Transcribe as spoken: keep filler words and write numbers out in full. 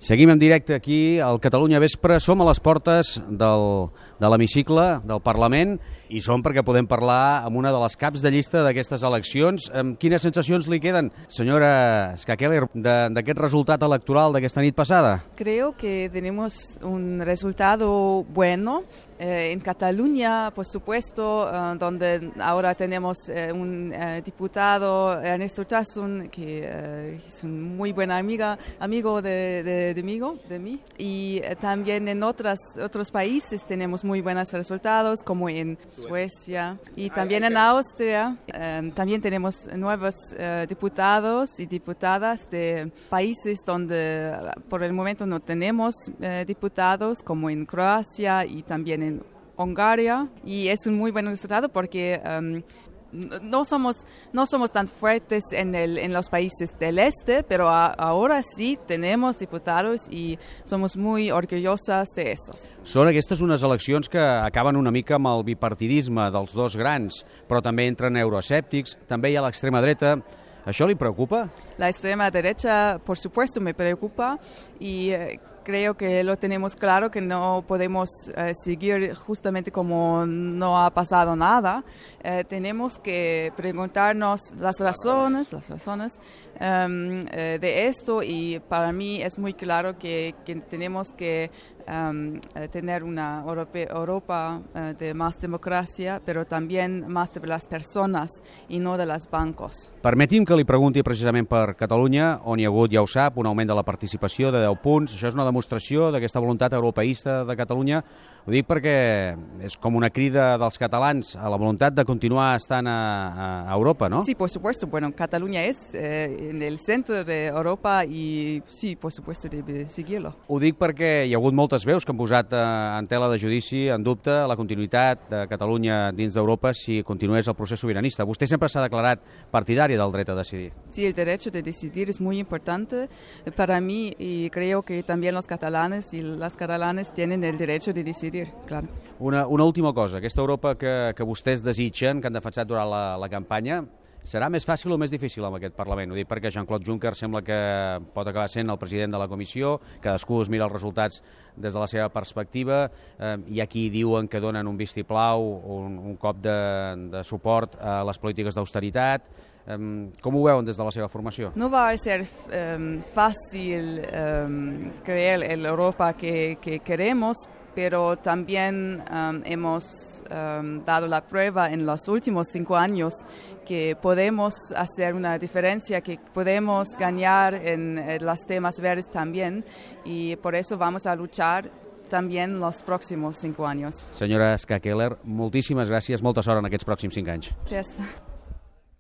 Seguim en directe aquí al Catalunya Vespre. Som a les portes del, de l'hemicicle del Parlament i som perquè podem parlar amb una de les caps de llista d'aquestes eleccions. Quines sensacions li queden, senyora Ska Keller, d'aquest resultat electoral d'aquesta nit passada? Creo que tenemos un resultado bueno. Eh, en Cataluña, por supuesto, eh, donde ahora tenemos eh, un eh, diputado, Ernesto Urtasun, que eh, es un muy buen amiga, amigo de, de, de, mí, de mí. Y eh, también en otras, otros países tenemos muy buenos resultados, como en Suecia y también en Austria. Eh, también tenemos nuevos eh, diputados y diputadas de países donde por el momento no tenemos eh, diputados, como en Croacia y también en Hungría, y es un muy buen resultado porque um, no somos no somos tan fuertes en el en los países del este, pero a, ahora sí tenemos diputados i somos muy orgullosas de esos. Són aquestes unes eleccions que acaben una mica amb el bipartidisme dels dos grans, però també entren euroescèptics, també hi ha l'extrema dreta. ¿Això li preocupa? La extrema derecha, por supuesto, me preocupa y eh, creo que lo tenemos claro que no podemos eh, seguir justamente como no ha pasado nada. Eh, tenemos que preguntarnos las razones, las razones um, eh, de esto, y para mí es muy claro que, que tenemos que um, tener una Europa, Europa uh, de más democracia, pero también más de las personas y no de los bancos. Permeti'm que li pregunti precisament per Catalunya, on hi ha hagut, ja ho sap, un augment de la participació de deu punts. Això és una demostració d'aquesta voluntat europeista de Catalunya. Ho dic perquè és com una crida dels catalans a la voluntat de continuar estant a, a Europa, ¿no? Sí, por supuesto. Bueno, Cataluña es eh, en el centro de Europa y sí, por supuesto, debe seguirlo. Ho dic perquè hi ha hagut moltes veus que han posat eh, en tela de judici, en dubte, la continuïtat de Catalunya dins d'Europa si continués el procés sobiranista. Vostè sempre s'ha declarat partidari del dret a decidir. Sí, el derecho de decidir es muy importante para mí y creo que también los catalanes y las catalanes tienen el derecho de decidir. Clar. Una, una última cosa, aquesta Europa que, que vostès desitgen, que han defensat durant la, la campanya, serà més fàcil o més difícil amb aquest Parlament? Ho dic perquè Jean-Claude Juncker sembla que pot acabar sent el president de la Comissió, cadascú es mira els resultats des de la seva perspectiva, eh, hi ha qui diuen que donen un vistiplau, un, un cop de, de suport a les polítiques d'austeritat. Eh, com ho veuen des de la seva formació? No va a ser um, fácil um, crear el Europa que, que queremos, pero también um, hemos um, dado la prueba en los últimos cinco años que podemos hacer una diferencia, que podemos ganar en, en los temas verdes también, y por eso vamos a luchar también los próximos cinco años. Senyora Ska Keller, moltíssimes gràcies, molta sort en aquests pròxims cinc anys. Gràcies.